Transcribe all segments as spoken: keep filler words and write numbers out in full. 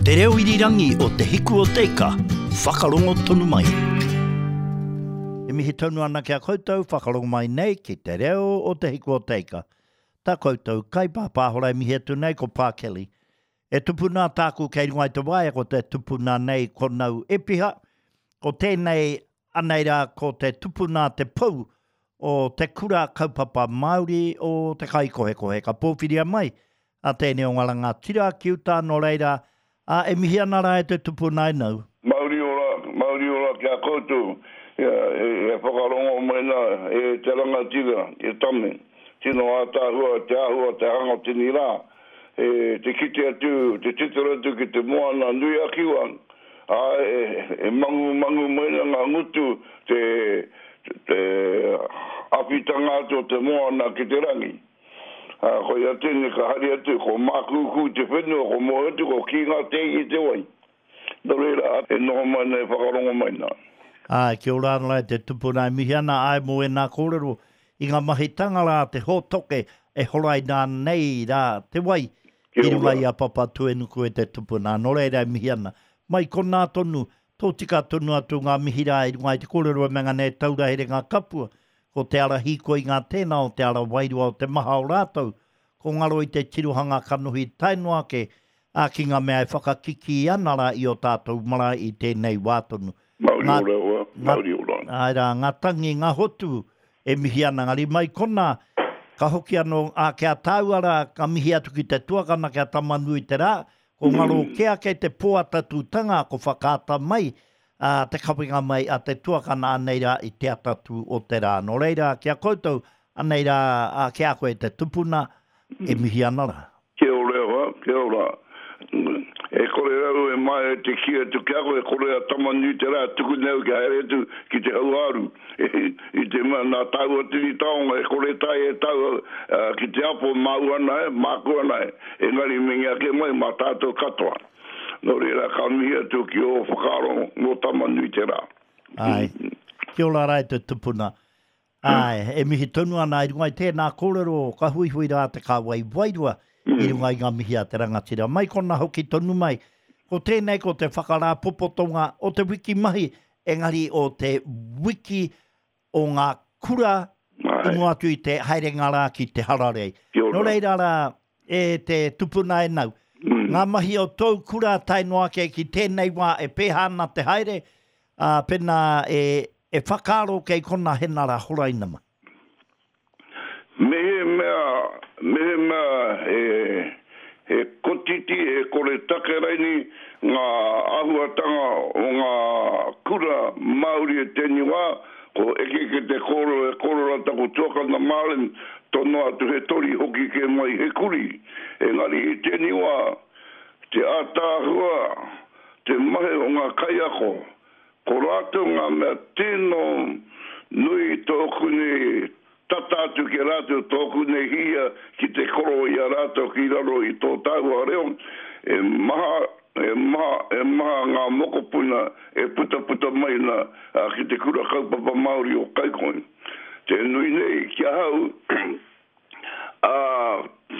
Te reo irirangi o Te Hiku o Te Ika, whakarongo tonu mai. E mihi tonu ana ki a koutou, whakarongo mai nei ki te reo o Te Hiku o Te Ika. Tā koutou kaipāpāhora e mihi atu nei ko Pā Kelly. E tupuna tāku kei runga i te waea ko te tupuna nei ko Nau Epiha. Ko tēnei anei rā ko te tupuna te pou o te kura kaupapa Māori o te Kaikohekohe. Ka pōwhiria mai a tēnei o ngā rangatira ki uta nō reira, ā, e mihi ana rā e te tupuna e Nau. Mauri ora, mauri ora ki a koutou, e, e whakarongo mai nā, e te rangatira, e tame. Tino ātaahua te āhua te hanga o tēnei rā, e, te kite atu, te titiro atu ki te moana nui a Kiwa, ā, e, e mangu mangu mai ana ngā ngutu te, te awhitanga atu o te moana ki te rangi. Ā, koia tēnei ka hari atu, ko Mākūkū te whenua, ko moe atu, ko Kīnga Tēngi te wai. Nō reira, e noho mai nei, e whakarongo mai nā. Āe, kia ora ana e te tupuna e mihi ana, āe mō ēnā kōrero i ngā mahi tanga rā te hōtoke e horaina nei rā te wai i runga i a Papatūenuku e te tupuna. Nō reira e mihi ana. Mai konā tonu, tōtika tonu atu ngā mihi rā i runga i te kōrero e mea nei e taura here ngā kapua, ko te ara hīkoi ngā tēnā o te ara wairua o te maha o rātou, ko ngaro i te tirohanga kanohi tae noa ake, ā, ki ngā mea e whakakikī ana rā i ō tātou marae i tēnei wā tonu. Mauri Ngā, ora hoa, ngā, mauri ora. āe rā, ngā tangi, ngā hotu e mihi ana, engari mai konā, ka hoki anō, ā, ki a tāua rā, ka mihi atu ki te tuakana, ki a Tamanui-te-rā, ko ngaro kē ake te pō atatūtanga, ko whakaata mai, ā, te kawenga mai a te tuakana anei rā i te atatū o te rā. Nō reira, ki a koutou, anei rā, ā, ki a koe te tupuna, e mihi ana rā. Kia ora e hoa, kia ora. E kore au e maea te kī atu ki a koe, e kore a Tamanui-te-rā tuku nei au kia haere atu ki te hauāru. I te mea nā tāua tini taonga e kore tae e tau ki te apo māu ana e, māku ana e, engari me ake mai mā tātou katoa. Nō reira, ka mihi atu ki ō whakaaro mō Tamanui-te-rā. Āe. Kia ora rā e te tupuna. Āe, e mihi tonu ana i runga i tēnā kōrero, ka huihui rā te kāwai wairua i runga i ngā mihi a te rangatira. Mai kona hoki tonu mai, ko tēnei ko te whakarāpopotonga o te wiki mahi, engari o te wiki o ngā kura i mua atu i te haerenga rā ki te hararei. Nō reira rā, e te tupuna e nau, ngā mahi o tōu kura tae noa ake ki tēnei wā e pēhā ana te haere, ā, pēnā e, e whakaaro kei kona henara horaina mai. Mehemea, mehemea he, he kotiti, he kore take raini ngā āhuatanga o ngā kura Māori e tēnei wā, ko eke ki te kōrero e kōrero ana taku tuakana Marlon, tonoa atu he tori, hoki kē mai he kuri. Engari i tēnei wā, te ātaahua, te mahi o ngā kaiako, ko rātou ngā mea tino nui tōku nei tata atu ki a rātou, tōku nei hia ki te koro i a rātou ki raro i tō tāua reo, e maha, e maha, e maha ngā mokopuna e putaputa mai ana ki te kura kaupapa Māori o Kaikohe. Te nui nei ki ahau, ā,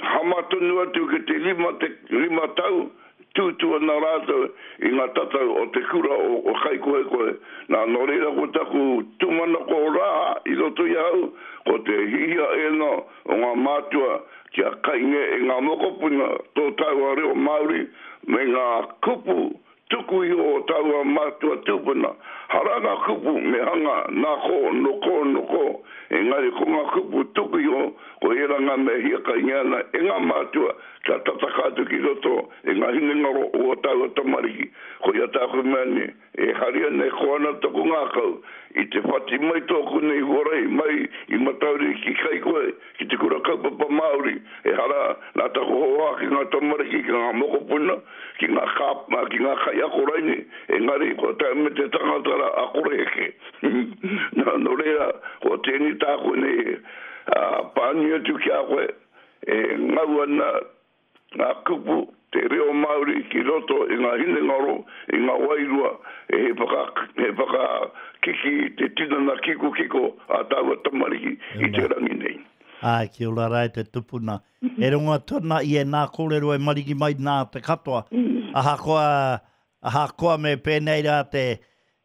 hama tonu atu ki te rima, te rima tau, tūtū ana rātou i ngā tatau o te kura o Kaikohekohe. Nā, nō reira ko taku tūmanako rā i roto i ahau, ko te hihia ēnā o ngā mātua kia kainga e ngā mokopuna tō tāua reo Māori me ngā kupu tuku iho o tāua mātua tūpuna. Hara ngā kupu me hanga nā kō, nō kō, nō kō, engari ko ngā kupu tuku iho ko ērā ngā mea hiakainga ana e ngā mātua kia tataka atu ki roto i ngā hinengaro o ō tāua tamariki. Koia tāku mea nei, e hari ana, e koa ana taku ngākau i te whati mai tōku nei huarahi mai i Matauri ki Kaikohe, ki te kura kaupapa Māori, ehara nā taku hōhā ki ngā tamariki, ki ngā mokopuna, ki ngā kā, ki ngā kaiako raini, engari kua tae mai te tangata rā a Koreheke. Nā, nō reira, ko tēnei tāku nei pānui atu ki a koe, e ngau ana ngā kupu, te reo Māori ki roto i ngā hinengaro, i ngā wairua, he whaka, he whakakiki i te tinana kikokiko a tāua tamariki i te rangi nei. Ai, kia ora rā e te tupuna. E rongo atu ana i e nā kōrero e mariki mai nā te katoa. Ahakoa, ahakoa me pēnei rā te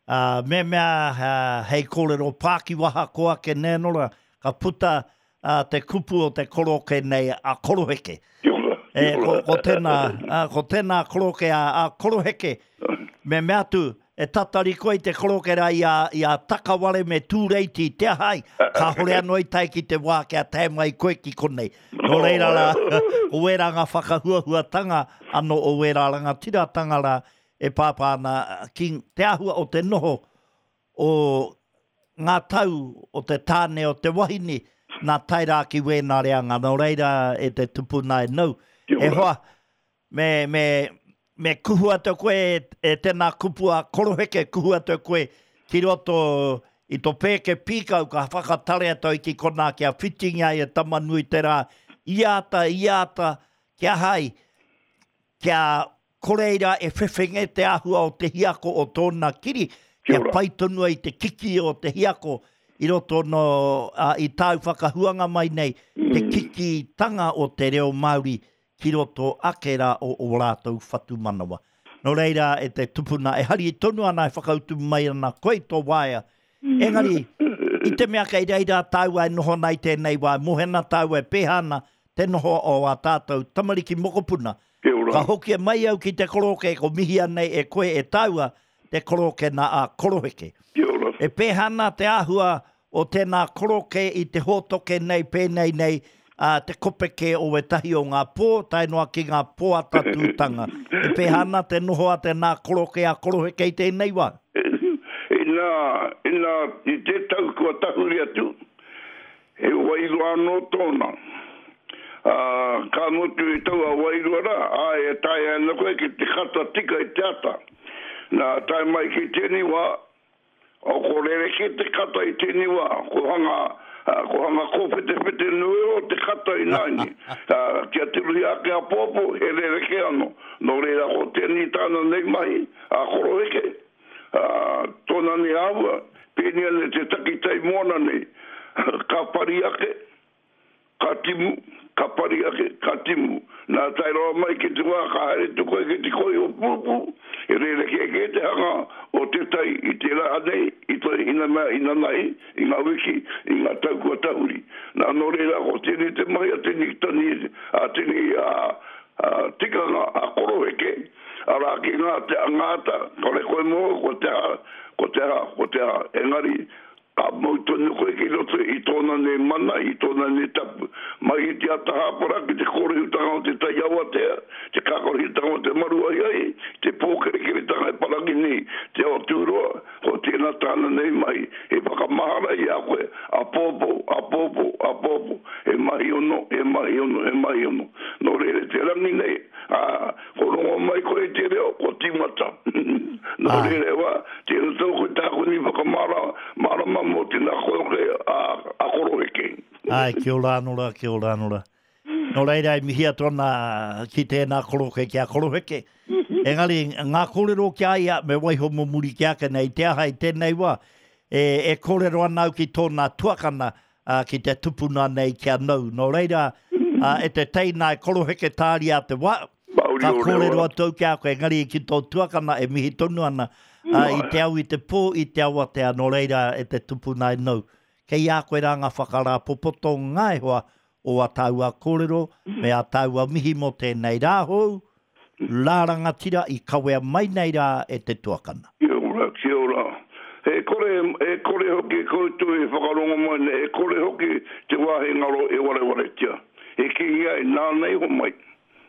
uh, me mea uh, hei kōrero pākiwaha koa ke nēnora, ka puta uh, te kupu o te koroke nei a koroheke. Kia ora. E, ko, ko tēnā, uh, ko tēnā koroke a, a koroheke, me mea atu, e tatari koe i te koroke rā i a, i a Takaware me Tūreiti te ahai, ka hore anō i tae ki te wā kia tae mai koe ki konei. Nō reira rā, ko wērā ngā whakahuahuatanga anō o wērā rangatiratanga rā e pāpā ana ki te āhua o te noho o ngā tau o te tāne o te wahine nā tae rā ki wēnā reanga. Nō reira e te tupuna e nau. Kia E ora. hoa, me, me, me kuhu atu koe e, e tēnā kupu a koroheke, kuhu atu koe ki roto i tō pēke pīkau ka whakatare atu i ki konā kia whitinga i e Tamanui te rā, i ata, i ata, kia hai, kia koreira e whewhenge te āhua o te hiako o tōna kiri, Kia kia ora. pai tonu ai te kiki o te hiako i roto no, uh, i tāu whakahuanga mai nei, te kikitanga o te reo Māori ki roto ake rā o o rātou whatumanawa. Nō reira e te tupuna e hari tonu ana e whakautu mai ana koe tō waea. Engari, i te mea kei reira tāua e noho nei tēnei wā, mohena tāua e pēha ana te noho o a tātou tamariki mokopuna. Kia ora. Ka hoki mai au ki te koroke, ko mihia nei e koe e tāua te koroke nā a koroheke. Kia ora. E pēha ana te āhua o tēnā koroke i te hōtoke nei, pēnei nei, uh, te kopeke o wetahi o ngā pō, tae noa ki ngā pō atatūtanga. E pēha ana te noho a tēnā koroke a koroheke i tēnei wā. Ina, ina, i te tau kua tahuri atu, he wairua anō tōna. Uh, ka motu i taua wairua rā, ai e tae ana koe ki te kata tika i te ata. Nā, tae mai ki tēnei wā, o ko rereke te kata i tēnei wā, ko hanga, uh, ko hanga kōwhetewhete nui o te kata i nāini. Uh, kia tiruhi ake a pōpō, he rereke anō. Nō reira ko tēnei tāna nei mahi, a koroheke. Uh, tōna nei āhua, pēnei ana te takitai moana nei, ka pari ake, ka timu, ka pari ake, ka timu. Nā tae roa mai ki te wā, ka haere tu koe ki te koi o pūpū, e rere ke ke te hanga o te tai i te rā nei, i te ina mea, ina nei, i ngā wiki, i ngā tau kua tahuri. Nā nō reira ko tēnei te mahi a tēnei tani, a tēnei a, a tikanga a koroheke, arā ki ngā te angata, kore koe mō, ko te aha, ko te aha, ko te aha. Engari, ka mau tonu koe ki roto i tōna nei mana, i tōna nei tapu. Mai i te ata hāpara ki te kōrehutanga o te tai awatea, te kākorehutanga o te maruai ai, te pōkerekeretanga e parangi nei, te ao tūroa, ko tēnā tāna nei mai, he whakamahara i a koe, a pōpō, a pōpō, a pōpō, he mahi ono, he mahi ono, he mahi ono. Nō reira te rangi nei, a, ko rongo mai koe i te reo, ko tīmata. Nō Ai. reira wā, tēnā tōku tāku ni whakamara, marama mō tēnā koroke a, a koroheke. Ai, kia ora anō rā, kia ora anō rā. Nō reira e mihi atu ana ki tēnā koroke ki a koroheke. Engari, ngā kōrero ki a ia, me waiho mō muri ki ake nei, te aha i tēnei wā, e, e kōrero ana au ki tōna tuakana, uh, ki te tupuna nei ki a nau. Nō reira, uh, e te teina e koroheke tāria te wā, Mauri ka o kōrero rewa. atu au ki a koe, engari ki tō tuakana e mihi tonu ana, uh, i te au i te pō, i te awatea, nō reira e te tupuna e nau. Kei a koe rā ngā whakarāpopoto ngā e hoa o a tāua kōrero, me a tāua mihi mō tēnei rā hou, rā rangatira i kawea mai nei rā e te tuakana. Kia ora, kia ora. E kore, e kore hoki koutou e whakarongo mai nei, e kore hoki te wāhi ngaro e warewaretia. E kingi ai, nāna i ho mai,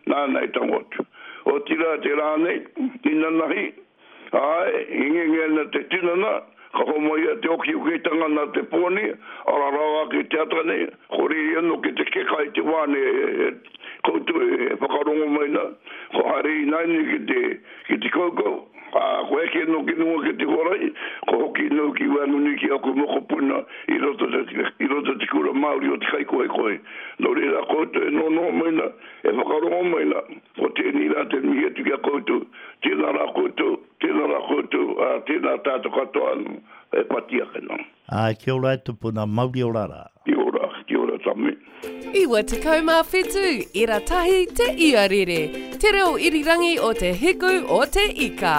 nāna i tango atu. O tira te rā nei, inanahi, ai, ingenge ana te tinana, ka homai a te oki uketanga nā te pōni, ara rawa ki te ata nei, ko riri anō ki te keka i te wā nei, e, e, koutou e whakarongo mai nā, ko haere i naini ki te, ki te kaukau, a, ko eke no ki nunga ki te huarahi, ko hoki nau ki wānuni ki aku mokopuna i roto te, i roto te kura Māori o te kaikohekohe. Nō reira koutou e nonoho mai nā, e whakarongo mai nā, ko tēnei rā te mihi atu ki a koutou, tēnā rā koutou, tēnā rā koutou, a, tēnā tātou katoa anō, e pati ake nā. Ai, kia ora e tupuna, mauri ora rā. Kia ora, kia ora tame. Iwa tekau mā whitu, ira tahi te iarere. Te reo irirangi o te hiku o te ika.